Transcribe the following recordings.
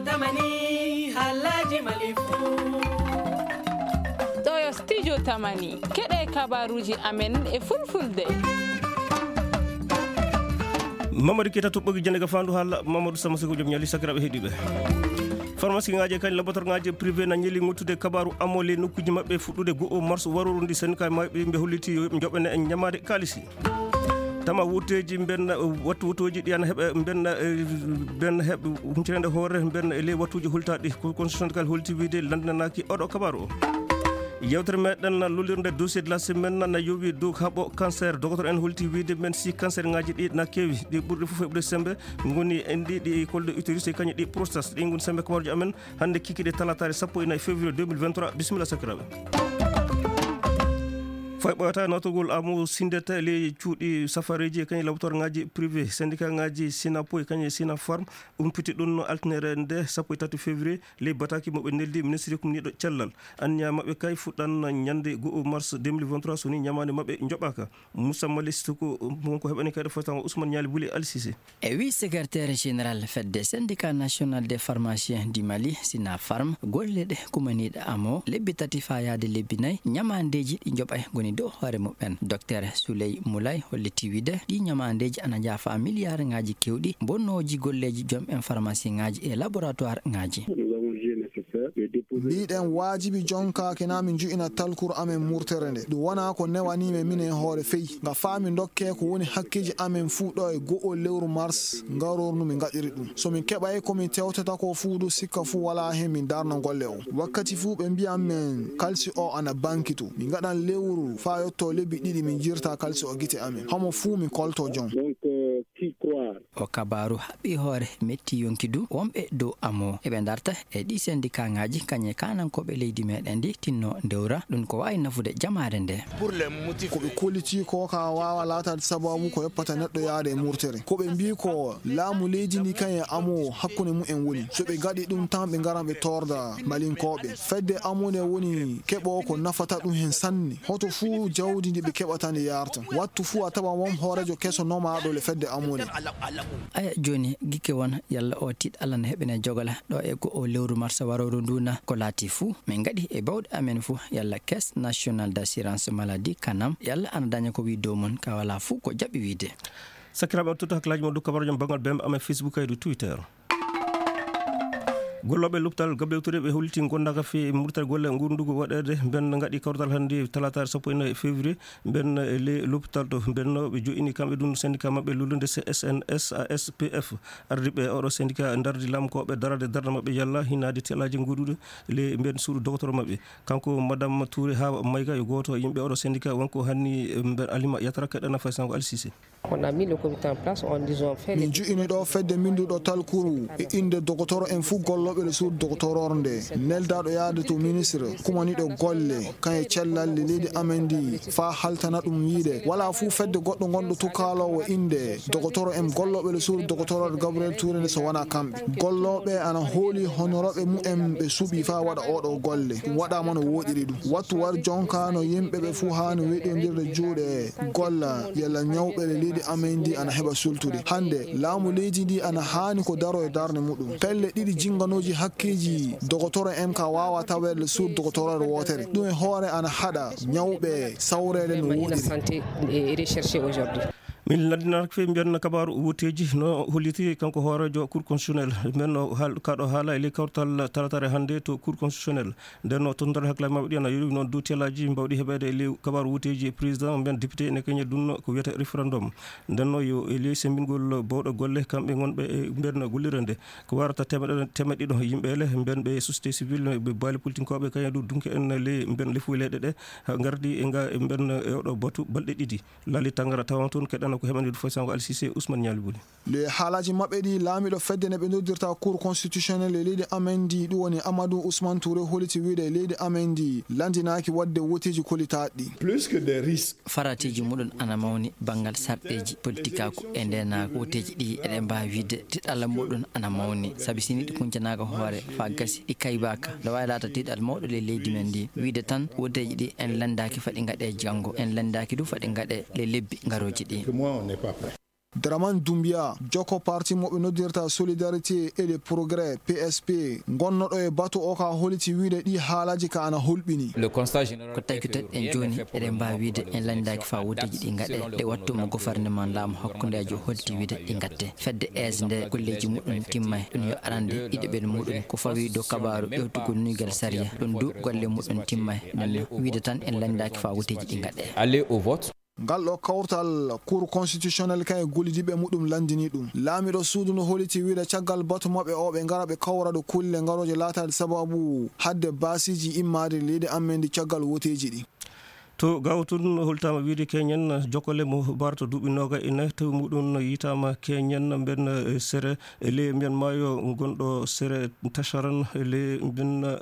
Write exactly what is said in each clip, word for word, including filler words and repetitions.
Tamani, halaji malifu. Ɗo yo studio Tamani. Keɗe kabaruji amen e fulfulde. Mamadou Keita toɓɓoki jande ga fandu hala Mamadou Sama Sego joom ñali sakiraɓe heɗiɓe. Pharmacie ngaji e kañ laboratoire ngaji privé na ñeli ngottude kabaru amole nokkuji maɓɓe fuɗɗude go'o mars waroro ndi syndicat maɓɓe ɓe holliti yo ɓe joɓene e ñamade kalisi. Tama wutteeji mbenna, wattu wuttuuji ɗi ana heɓa mbenna, eh, mbenna heɓ huncirende hoore mbenna e ley wattuuji hultaaɗi. Ko constitutionnel holti wiide lanndinanaaki oɗo kabaru o. Yewtere meɗen na lolirde dossier de la semaine na yowi dow haɓo cancer. Docteur en holti wiide men si cancer ngaji ɗi na keewi, ɗi ɓurɗi fof heɓude sembe ngoni en ɗi, ɗi col de utérus e kañum ɗi prostate. Ɗi ngoni sembe kabaruji amen hannde kikiɗe talataare sappo e nayi février deux mille vingt-trois. Bisimilla sakiraaɓe. Fay ɓooyata nawtogol amu sindete ley cuuɗi safareeji e kañum laboratoire ngaji privé, syndicat ngaji Sinapo e kañum e Sinafarm umpiti ɗum no altine nde sappo e tati février ley bataki mo ɓe neldi ministre kumniiɗo cellal. Anniya maɓɓe kay fuɗɗan ñande go'o mars deux mille vingt-trois so ni ñamaande maɓɓe joɓaaka. Moussa Mali Sissoko wonko heɓani kayɗo fotango Ousmane Ñaali Buli Al Sise. E wi secrétaire général fedde syndicat national des pharmaciens du Mali, Sinafarm, golle ɗe kumaniiɗe amo lebbi tati faa yaade lebbi nayi, ñamaandeeji ɗi njoɓay ngoni dow hoore mumen. Docteur Souley Moulay holliti wiide ɗi ñamaandeeji ana njaafa miliyaar ngaaji kewɗi, bonnooji golleeji joom en pharmacie ngaaji e laboratoire ngaaji. Mbiɗen waajibi jonkaaki na min nju'ina talkuru amen murtere nde. Ɗum wonaa ko newanii men minen hoore fey. Nga faa min ndokkee ko woni hakkeeji amen fuu ɗo e go'o lewru mars ngarornu min ngaɗiri ɗum. So min keɓay ko min tewtata ko fuu du sikka fuu walaa heen min darna golle o. Wakkati fuu ɓe mbi'an men kalsi o ana bankitu. Min ngaɗan lewru faa yottoo lebbi ɗiɗi min jirta kalsi o gite amen. Homo fuu min koltoo jom. Donc, euh, qui croire? O kabaaru haɓɓi hoore metti yonki du wonɓe dow amo. Eɓe darta e ɗi syndicat ngaaji kañe kaanankooɓe leydi meɗen ndi tinno ndewra ɗum ko waawi nafude jamaare nde. Ko ɓe kolliti ko ka waawa laataade sababu ko yoppata neɗɗo yaade e murtere. Ko ɓe mbii ko laamu leydi ndi kañe amo hakkunde mumen woni. So ɓe ngaɗi ɗum tan ɓe ngaran ɓe torda malinkooɓe. Fedde amo nde woni keɓo ko nafata ɗum heen sanne. Hoto fuu jawdi ndi ɓe keɓata ndi yarta. Wattu fuu a tawa won hooreejo keso nomaaɗo le fedde amo nde. Aya jooni, gikke won, yalla o tiiɗalla no heɓene jogala ɗo e ko o lewru mars warooru ndu na ko laati fuu. Min ngaɗi e bawɗe amen fuu, yalla Caisse Nationale d'Assurance Maladie, kanam, yalla ana daña ko wi dow mum, ka wala fuu ko jaɓi wiide. Sakiraaɓe, on totta hakkilaaji mon dow kabaruuji mon banngal bembe amen Facebook e dow Twitter. Gollooɓe loptal Gabriel Touré ɓe holliti gondaaka fii murtere golle ngurndugo waɗeede. Mben ngaɗi kawtal hannde talaataare sappo e nayi février. Mben e ley lopital to mbenno ɓe jo'ini kamɓe ɗum syndicat maɓɓe lollude C S N S A S P F. Ardiiɓe oɗo syndicat ndardi lamkooɓe darade darde maɓɓe yalla hinaade telaaji goɗɗuɗe ley mben suudu docteur maɓɓe. Kanko Madame Touré haa Mayga yo gooto yimɓe oɗo syndicat wonko hanni mben Alima Yatara kaɗana fay sango Alsise. On a mis le comité en place en disant fait. Min ju'ini ɗo fedde mbinduɗo talkuru e innde dogotoro en fuu gollooɓe le suudu dogotoror nde neldaaɗo yaade to ministre kumaniɗo golle kan e cellal le leydi amen ndi faa haltana ɗum wiide wala fuu fedde goɗɗo ngonɗo tukaaloowo innde dogotoro en gollooɓe le suudu dogotoror Gabriel Touré nde so wona kamɓe. Gollooɓe ana hooli honorooɓe mumen ɓe suɓi faa waɗa oɗo golle. Ɗum waɗaama no wooɗiri ɗum. Wattu war jonka no yimɓe ɓe fuu haani weɗondirde juuɗe golla yalla ñawɓe le leydi amen ndi ana heɓa sultude. Hannde, laamu leydi ndi ana haani ko daro e darnde muɗum. Pelle ɗiɗi jinnganooji hakkeeji dogotoro en ka waawa taweede le suudu dogotoroore wootere. Ɗum e hoore ana haɗa ñawɓe sawreede no wooɗiri. Santé et recherché aujourd'hui. Min lanndinarake fii mbiyan kabaaru wutteeji no holliti kanko hooreejo Cour constitutionnelle. Mben no haal-, kaɗo haala e ley kawtal talatare hannde to Cour constitutionnelle. Nden no tottundal hakkilaaji maɓɓe ɗi ana yowi noon dow telaaji mbawɗi heɓeede e ley kabaaru wutteeji président mben député ene keñe ɗum ko wiyata référendum. Nden no yo e ley semmbingol bawɗo golle kamɓe ngonɓe e mben gollirde nde. Ko warata temeɗɗe, temeɗɗe ɗiɗo yimɓe ele mben ɓe société civile, ɓe baali politinkooɓe kañum du dunke en ley mben lefuy leyɗe ɗe. Ha ngardi e nga mben e oɗo batu balɗe ɗiɗi. Laali Tangara tawan toon keɗana ko heɓande du fay sango Alsise Ousmane Ñaali Buli. Le haalaaji maɓɓe ɗi laamiɗo fedde ne ɓe noddirta Cour constitutionnelle e leydi amen ndi, ɗum woni Amadou Ousmane Touré holliti wiide leydi amen ndi lanndinaaki waɗde woteeji kolitaaɗi. Plus que des risques. Faratiiji muɗum ana mawni banngal sarɗeeji politikaaku e ndeenaagu. Woteeji ɗi eɗen mbaawi wiide tiɗalla muɗum ana mawni, sabi si ni ɗi kuncanaaka hoore faa gasi ɗi kaybaaka, no waawi laata tiɗal mawɗo ley leydi men ndi. Wiide tan woteeji ɗi en lanndaaki faɗi ngaɗe janngo, en lanndaaki du faɗi ngaɗe le lebbi ngarooji ɗi. Que moi, on n'est pas prêt. Draman Dumbiya, jokko parti mo ɓe noddirta Solidarité et le Progrès, P S P, gonnoɗo e batu o ka holiti wiide ɗi haalaji ka ana hulɓini. Le constat général Ko tawi ko tati en jooni eɗen mbaawi wiide en lanndaaki faa wooteeji ɗi ngaɗe. Ɗe wattu mo gofarneman laamu hakkundeejo holiti wiide ɗi ngatte. Fedde aise nde golleeji muɗum timmay ɗum yo arande ɗiɗo ɓen muɗum ko fawi dow kabaaru ƴewtugol nuygal sariya ɗum du golle muɗum timmay. Nden wiide tan en lanndaaki faa wooteeji ɗi ngaɗe. Aller au vote. Ngal ɗo kawtal Cour constitutionnel kan e gollidiɓe muɗum landini ɗum. Laamiɗo suudu no holiti wiide caggal batu maɓɓe o ɓe ngara ɓe kawra ɗo kulle ngarooje laataade sababu hadde baasiiji immaade leydi amen ndi caggal woteeji ɗi. To Gao tun holtaama wiide keñen jokkole mo barta duuɓi nooga e nayi tawi muɗum yitaama keñen mben sere e ley mbiyan maayo gonɗo sere Tacharan e ley mbiyan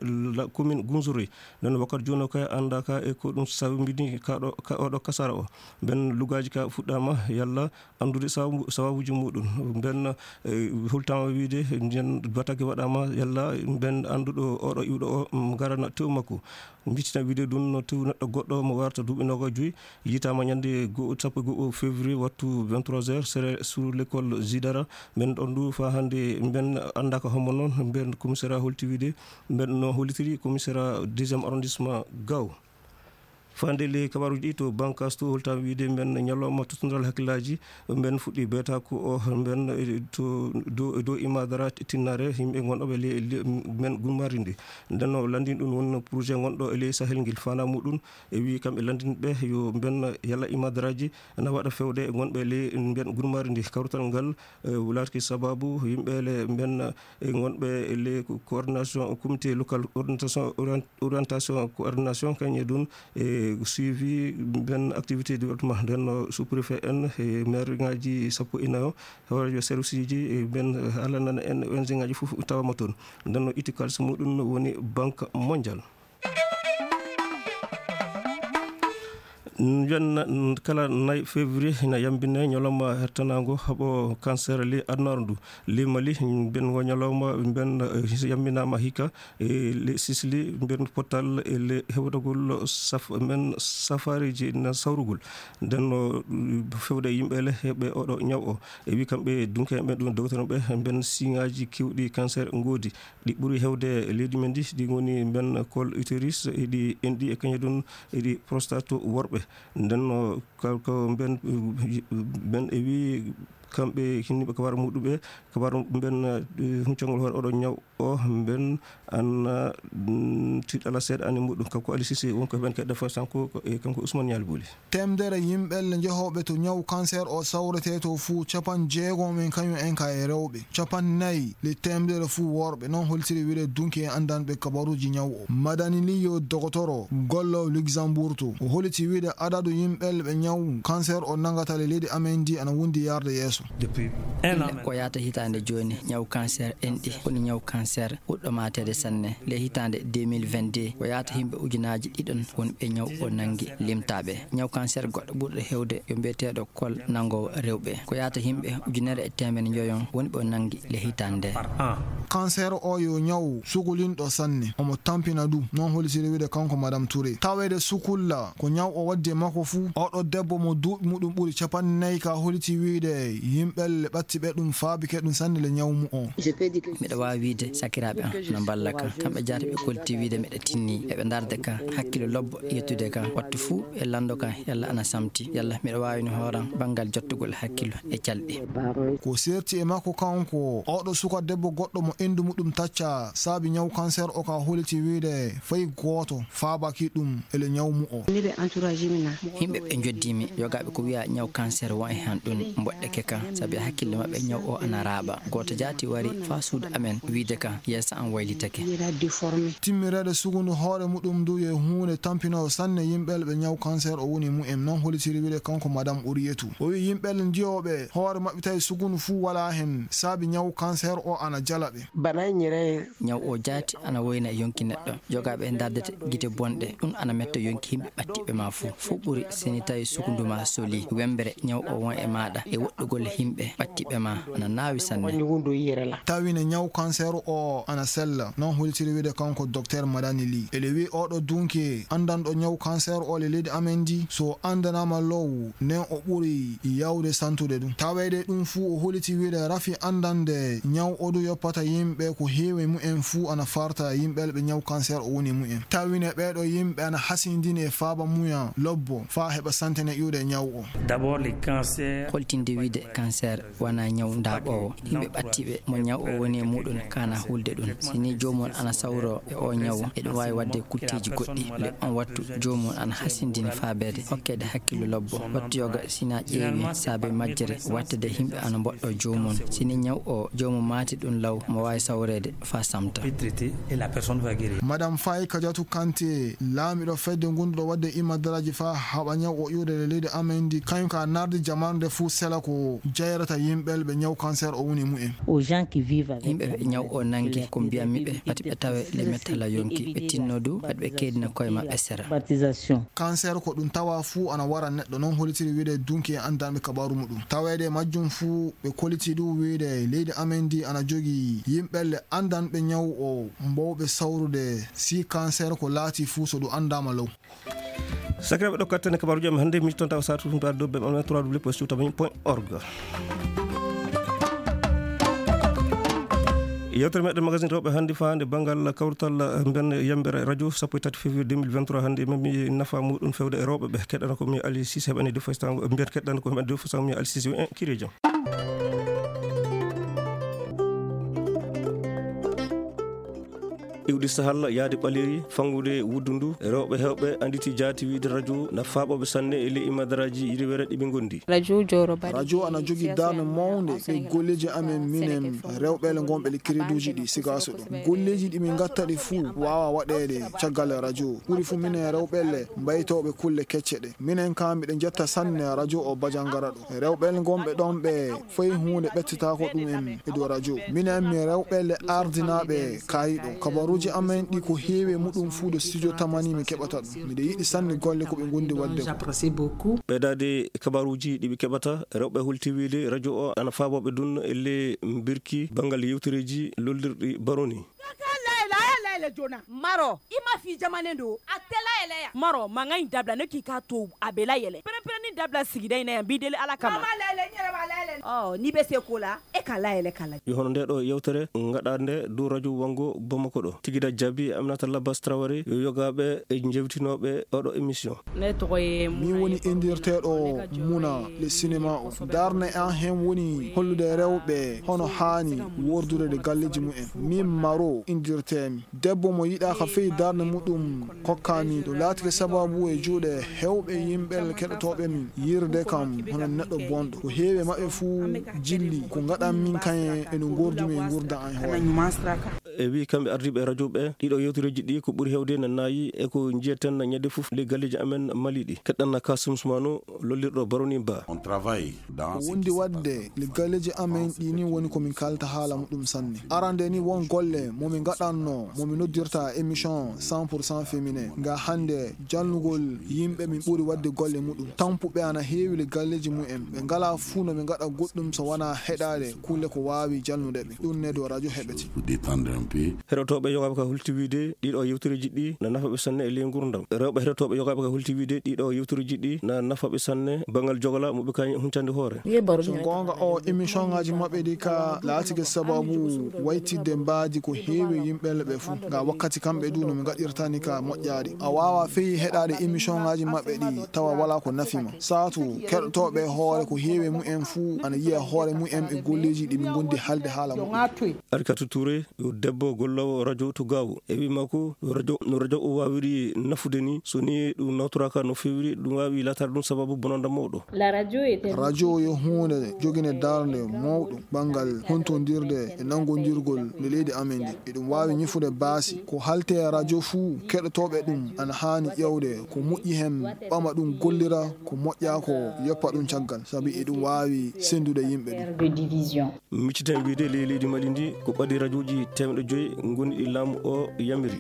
commune Gunzuri. Nden wakkati jooni o kay annda ka e ko ɗum sawbini ka ɗo ka oɗo kasara o. Mben lugaaji ka fuɗɗaama yalla anndude sababu sababuji muɗum. Mben hultaama wiide nden batake waɗaama yalla mben annduɗo oɗo iwɗo o ngarana tew makko. Mbittina wiide ɗum no tew neɗɗo goɗɗo mo warta duuɓi nooga joyi yitaama ñande sappo e go'o février wattu vingt-trois heures sere sur l'école Zidara. Mben ɗon du faa hannde mben annda ka hombo noon mben commissariat holti wiide mben no hollitiri commissariat deuxième arrondissement Gao. Fande ley kabaruji ɗi to bankas to holtaama wiide mben ñalawma tottondiral hakkillaaji mben fuɗɗi beetaaku o mben to dow dow imadara tinnare yimɓe gonɗoɓe ley mben gummarinde. Nden o lanndini ɗum woni projet gonɗo e ley sahel ngel fana muɗum e wi kamɓe lanndinɓe yo mben yalla imadaraji na waɗa fewde e gonɓe ley mben gurmari ndi kawrital ngal. Laatki sababu yimɓe le mben e gonɓe ley coordination comité local orientation orientation coordination kañe ɗum e suivi mben activité développement nden sous préfet en e maire ngaji sappo e nayo hoorejo service ji mben haalanana en ong ngaji fof tawama toon. Nden o itti kalis muɗum woni banque mondial. Mbiyan kala nayi février ina yambine ñalawma hertanango haɓo cancer li adunaaru ndu. Li mali mbiyan ngo ñalawma mbiyan yambinama hikka e le sisli mbiyan pottal e le hewtagol saf men safariji na sawrugol. Nden no fewde yimɓe le heɓe oɗo ñaw o e wi kamɓe dunkeɓe ɗum dogtonoɓe mbiyan siŋaji kewɗi cancer ngoodi. Ɗi ɓuri hewde e leydi men ndi ɗi ngoni mben col utéris eɗi enɗi e kañe ɗum eɗi prostate worɓe. Nden no ko mben mben e wi kamɓe hinniɓe kabaru muɗuɓe kabaru mben huncangol hoore oɗo ñaw o mben an tiɗala seeɗa ani muɗum kanko ali sisi wonko ben kedde fo sanko e kanko ousmane ñaali booli. Temdere yimɓelle jehooɓe to ñaw cancer o sawrete to fuu capan jeegom en kañum en ka e rewɓe capan nayi le temdere fuu worɓe non holtiri wiɗe dunki e anndanɓe kabaruuji ñaw o madani liyo dogotoro gollo luxembourg to o holiti wiɗe adadu yimɓelle ɓe ñaw cancer o nangata le leydi amen ndi ana wondi yarde yeeso. Depuis un an. Ko yaata hitaande jooni ñaw cancer enɗi woni ñaw cancer ɓuɗɗo maateede sanne le hitaande deux mille vingt-deux ko yaata yimɓe ujunaaji ɗiɗon woni ɓe ñaw o nanngi limtaaɓe. Ñaw cancer goɗɗo ɓurɗo heewde yo mbiyeteeɗo kol nanngoowo rewɓe ko yaata yimɓe ujunere e teemedde njoyon woni ɓe o nanngi le hitaande nde. Cancer o yo ñaw sukulinɗo sanne omo tampina du non holitiri wiide kanko madame touré taweede sukulla ko ñaw o waddi e makko fuu oɗo debbo mo duuɓi muɗum ɓuri capanɗe nayi ka holiti wiide yimɓelle ɓatti ɓe ɗum faabike ɗum sanne le ñaw mu o. Miɗo waawi wiyde sakiraaɓe am no mballa kam kamɓe jaati ɓe kolti wiyde miɗo tinni eɓe ndarde kam hakkillo lobbo yettude kam wattu fuu ɓe lanndo kam yalla ana samti yalla miɗo waawini hooram banngal jottugol hakkillo e calɗi. Ko serti e makko kanko oɗo suka debbo goɗɗo mo endu muɗum tacca saabi ñaw kanser o ka holiti wiyde fay gooto faabaki ɗum ele ñaw mu o. Yimɓe ɓe njoddimi yogaaɓe ko wiya ñaw kanser won e han ɗum mboɗɗeke kan sabi hakkille maɓɓe ñaw o ana raaɓa gooto jaati wari faa suudu amen wiide kan yeeso am waylitake. Timmireede sukundu hoore muɗum ndu yo huunde tampinoowo sanne yimɓel ɓe ñaw kanser o woni mu'en non holitiri wiide kanko madam Uriyatu o wi yimɓel njiyooɓe hoore maɓɓe tawi sukundu fuu walaa hen saabi ñaw kanser o ana jala ɓe. Ñaw o jaati ana woyna yonki neɗɗo. Jogaaɓe e ndardete gite bonɗe, ɗum ana metta yonki yimɓe ɓattiɓe ma fuu. Fof ɓuri sini tawi sukundu ma soli. Wembere, ñaw o won e maaɗa e woɗɗugol yimɓe ɓattiɓe ma ana naawi sanne. Tawine ñaw cancer o ana sella, non holitiri wiide kanko Docteur Madani Ly. Ele wi oɗo dunki andanɗo ñaw cancer o le leydi amen ndi, so andanama low, nen o ɓuri yawde santude ɗum. Taweede ɗum fuu o holiti wiide rafi andande ñaw o du yoppata yimɓe ko heewi mumen fuu ana farta yimɓe ɓe ñaw cancer o woni mumen. Tawine ɓeeɗo yimɓe ana hasindini e faaba muya lobbo faa heɓa santene iwde ñaw o. D'abord, les cancers. Holtinde wiide cancer wana ñaw ndaaɓoowo. Yimɓe ɓattiɓe mo ñaw o woni e muɗum kana hulde ɗum. Si ni joomum ana sawro e o ñaw, eɗum waawi waɗde kutteeji goɗɗi. Le on wattu joomum ana hasindini faabeede hokkeede hakkillo lobbo. Wattu yoga sina ƴeewi saabe majjere wattede yimɓe ana mboɗɗo joomum. Si ni ñaw o joomum maati ɗum law, mo waawi sawreede faa samta. Madame Faye Kadiatou Kanté, laamiɗo fedde ngonduɗo waɗde imadaraaji faa haɓa ñaw o iwde e leydi amen ndi, kañum ka nardi jamaanu nde fuu sela ko jayrata yimɓe ɓe ñaw cancer o woni mumen. Aux gens qui vivent avec Yimɓe la ɓe ñaw o maladie, nangi ko mbiyammi ɓe, pati ɓe tawe le mettala yonki, ɓe tinno du, pati ɓe keedina koye maɓɓe sera. Stigmatisation. Cancer ko ɗum tawa fuu ana wara neɗɗo, non holitiri wiide dunki e andanɓe kabaru muɗum. Taweede e majjum fuu, ɓe koliti du wiide leydi amen ndi ana jogii yimɓe le andanɓe ñaw o mbowɓe sawrude si cancer ko laati fuu so ɗum andama low. Sakiraaɓe, ɗo kattane kabaaruuji amen hannde, miijtoɗon tawa saatu tumtaade dow bem amen trois W point sewtabañi point org. Yewtere meɗen magazine rewɓe hannde faande banngal kawrital mben yambere radio sappo e tati février deux mille vingt-trois hannde, mami nafa muɗum fewde e rewɓe ɓe. Keɗɗana ko mi Ali Cissé heɓani deux fois tango, mbiyen keɗɗana ko heɓani deux fois tango mi Ali Cissé, en kiri jam. Iwdi sahal yaade ɓaleeri, fanngude wuddu ndu, rewɓe heewɓe annditi jaati wiyde radio na faaɓooɓe sanne e ley imadaraaji riwere ɗi ɓe ngondi. Radio Jowro Bari. Radio ana jogii darnde mawnde e golleeji amen minen rewɓe le ngonɓe le créditeuji ɗi sigaaso ɗo. Golleeji ɗi min ngatta ɗi fuu waawa waɗeede caggal radio. Ɓuri fuu minen rewɓe le mbaytooɓe kulle kecce ɗe. Minen kaa miɗen njetta sanne radio o Bajangara ɗo. Rewɓe le ngonɓe ɗon ɓe fay huunde ɓettitaako ɗum en e dow radio. Minen mi rewɓe le ardinaaɓe kaayiɗo. Kabaruuji amen ɗi ko heewi e muɗum fuu ɗo studio Tamani mi keɓata ɗum. Miɗo yiɗi sanne golle ko ɓe ngondi waɗde ko. Ɓeydaade kabaruuji ɗi ɓe keɓata, rewɓe hulti wiide radio o ana faaboo ɓe ɗum e le mbirki banngal yewtereeji lollirɗi baroni. Maro, ima fi jamane ndo, a tela eleya. Maro, manga in dabla ne k'i ka to a bela yele. Pere pere ni dabla sigida ina ya mbidele ala kama. Mama lele, nyere ba lele. Oh, ni be se kola, e ka la ele kala. Yo hono nde ɗo yewtere ngaɗaande dow radio Wango Bamako ɗo. Tigida Jabi, Aminata Labas Traoré, yo yogaaɓe e jewtinooɓe oɗo émission. Min woni inndirteeɗo Muna le cinéma o. Darne an hen woni hollude rewɓe hono haani wordude galleeji mumen. Min Maro inndirteemi. Debbo mo yiɗaaka fey darnde muɗum kokkaami. Ɗum laatike sababu e juuɗe heewɓe yimɓe keɗotooɓe min. Yirde kam hono neɗɗo bonɗo. Ko heewi e maɓɓe fuu jilli ko ngaɗan min kañe e no ngordu-mi e ngurdan an hoore. E wi kamɓe ardiiɓe e radio ɓe, ɗiɗo yewtereeji ɗi ko ɓuri heewde na naayi e ko njiyeten ñande fof ley galleeji amen Mali ɗi. Keɗɗan na Kasum Sumano, lollirɗo Baroni Ba. Ko wondi waɗde le galleeji amen ɗi ni woni ko min kalta haala muɗum sanne. Arande ni won golle mo min ngaɗanno, mo min noddirta émission cent pour cent féminin. Nga hannde jalnugol yimɓe min ɓuri waɗde golle muɗum. Tampuɓe ana heewi le galleeji mumen. Ɓe ngalaa fuu no ɓe ngaɗa goɗɗum so wanaa heɗaade kulle ko waawi jalnude ɓe. Ɗum ne dow radio heɓete. Heɗotooɓe yogaaɓe ka hulti wiide ɗiɗo yewtereeji ɗi na nafa ɓe sanne e ley ngurdam. Rewɓe heɗotooɓe yogaaɓe ka hulti wiide ɗiɗo yewtereeji ɗi na nafa ɓe sanne banngal jogola mo ɓe kañi huncande hoore. So goonga o émission ngaji maɓɓe ɗi ka laatike sababu waytidde mbaadi ko heewi yimɓe ɓe fuu. Nga wakkati kamɓe du no ɓe ngaɗirtani ka moƴƴaari. A waawa fey heɗaade émission ngaji maɓɓe ɗi tawa wala ko nafi ma. Saatu keɗotooɓe hoore ko heewi mumen fuu ana yiya hoore mumen e golleeji ɗi ɓe ngondi halde haala mumen. Arka Touré, yo debbo golloowo radio to Gaawo. E wii makko, radio, no radio o waawiri nafude ni, so ni ɗum nawtoraaka no feewiri, ɗum waawi laataade ɗum sababu bonanda mawɗo. Radio yo huunde joginde darnde mawɗo banngal hontondirde e nanngondirgol nde leydi amen ndi. Eɗum waawi ñifude baasi. Ko halte radio fuu, keɗotooɓe ɗum ana haani ƴeewde ko moƴƴi heen, ɓama ɗum gollira, ko moƴƴaa ko yoppa ɗum caggal, sabi eɗum waawi senndude yimɓe ɗum. Micciten wiide ley leydi Mali ndi ko ɓadi rajooji teemedde joyi ngoni ɗi laamu o yamiri.